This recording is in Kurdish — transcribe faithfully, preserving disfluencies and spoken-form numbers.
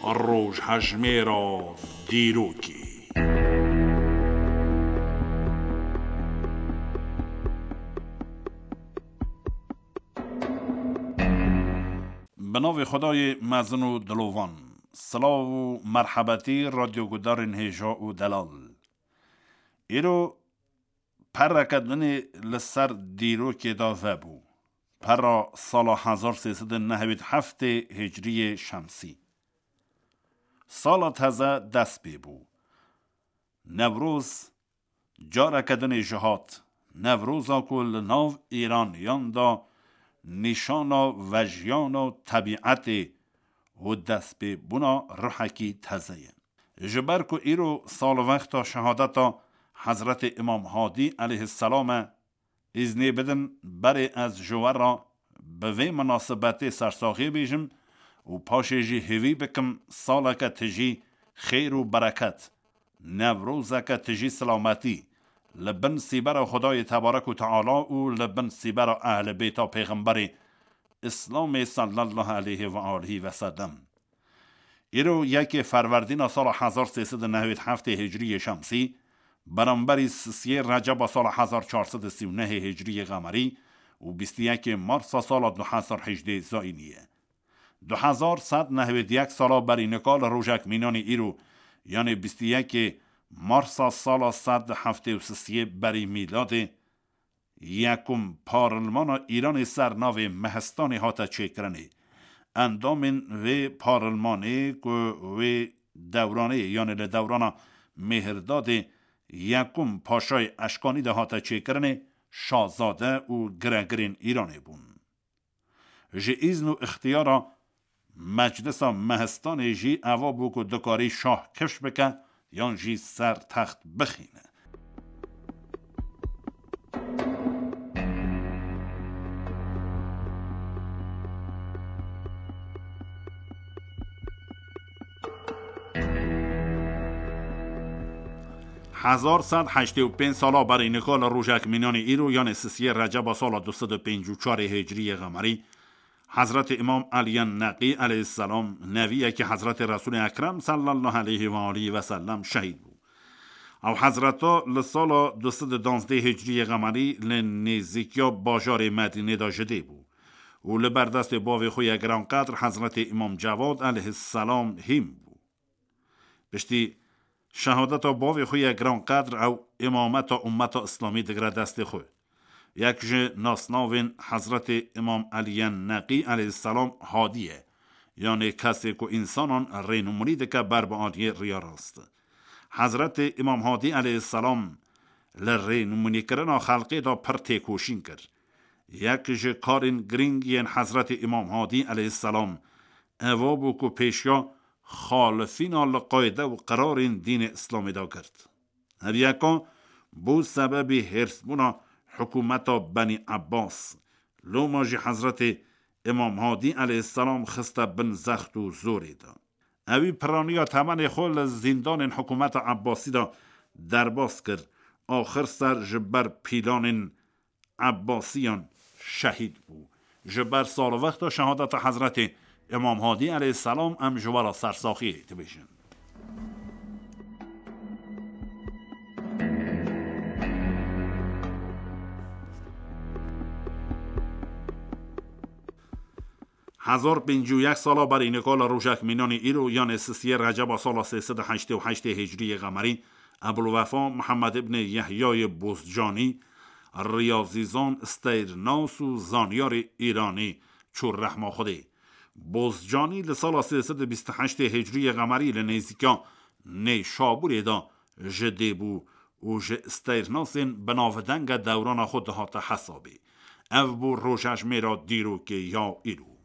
Rojhejmêra dîrokê. Bi navê Xwedayê mezin û dilovan. Silav û merhebetî radyogudarên hêja û delal. Îro pereke dinê li ser dîrokê de vebû. Pera sala hezar sê sed û nehwêd heftê hicriyê şemsî. Sala teze dest pê bû. Newroz careke dinê jî hat. Newroza ku li nav Îraniyan de nîşana vejiyana tebîetê û destpêbûna ruhekî teze ye. Ji ber ku îro salwexta şehadeta Hezretê Îmam Hadî aleyhisselam e, îznê bidin berê ez ji we re bi vê minasibetê sersaxiyê bêjim û paşê jî hêvî bikim saleke tijî xêr û bereket, Newrozeke tijî silametî, li bin sîbera Xwedayê Tebarek û Teala û li bin sîbera Ehlê Bêta Pêxemberê Îslamê sallallahu aleyhi ve alihi ve sellem. Îro yekê Ferwerdîna sala hezar sê sed û nehwêd heftê hicriyê şemsî, beramberî sisiyê Receba sala hezar çar sed û sî û nehê hicriyê qemerî û bîst û yekê Marsa sala du hezar hejdê zayînî ye. Du hezar sed nehwêd yek sala berî nika li rojek mînanî îro, yanê bîst û yekê Marsa sala sed heftê û sisiyê berî mîladê, yekum parlmana Îranê ser navê Mehistanê hate çêkirinê. Endamên vê parlmanê ku wê dewranê, yanê li dewrana Mêhirdadê yekum Paşayê Eşkanî de hate çêkirinê, şazade û giregirên Îranê bûn. Ji îzn û ixtiyara Meclisa Mehistanê jî eva bû ku dikarî şah kifş bike yan jî ser text bixîne. Hezar sed heştê û pênc sala berî nika li rojek mînanê îro, yanê sisiyê Receba sala du sed û pêncî û çarê Hicriyê Qemerî, Hezretê Îmam Eliyên Neqî aleyhisselam, neviyekî Hezretê Resûlê Ekrem sallallahu aleyhi ve alihi ve sellem şehîd bû. Ew Hezreta li sala du sed û danzdeh Hicriyê Qemerî li nêzîkiya bajarê Medînê de ji dê bû û li ber destê bavê xwe yê giranqedr Hezretê Îmam Cewad aleyhisselam hîn bû. Piştî şehadeta bavê xwe yê giranqedr ew îmameta ummeta Îslamî digire destê xwe. Yek ji nasnavên Hezretê Îmam Eliyên Neqî aleyhisselam Hadî ye, yanê kesê ku însanan rênûmûnî dike ber bi aliyê riya rast. Hezretê Îmam Hadî aleyhisselam li rênûmûnîkirina xelkê de pir têkoşîn kir. Yek ji karên girîng yên Hezretê Îmam Hadî aleyhisselam eva bû ku pêşiya xalifîna li qayde û qirarên dînê Îslamê de girt. Her yeka bû sebebî hêrsbûna hikûmeta Benî Ebbas. Loma jî Hezretê Îmam Hadî aleyhisselam xiste bin zext û zorê de. Ewî piraniya temenê xwe li zîndanên hikûmeta Ebbasî de derbas kir. Axir ser ji ber pîlanên Ebbasiyan şehîd bû. Ji ber salwexta şehadeta Hezretê Îmam Hadî aleyhisselam em ji we re sersaxiyê dibêjin. Hezar pêncî û yek sala berî nika li rojek mînanî îro, yanê sisiyê Receba sala sê sed û heştê û heştê Hicriyê Qemerî, Ebulwefa Mihemed ibnê Yehyayê Bozcanî, riyazîzan, steyrnas û zanyarê Îranî, çû rehma Xwedê. Bozcanî li sala sê sed û bîst û heştê Hicriyê Qemerî li nêzîka Nêşabûrê de ji dê bû û ji steyrnasên binavdenge dewrana xwe dihate hesabê. Ev bû rojejmêra dîrokê ya îro.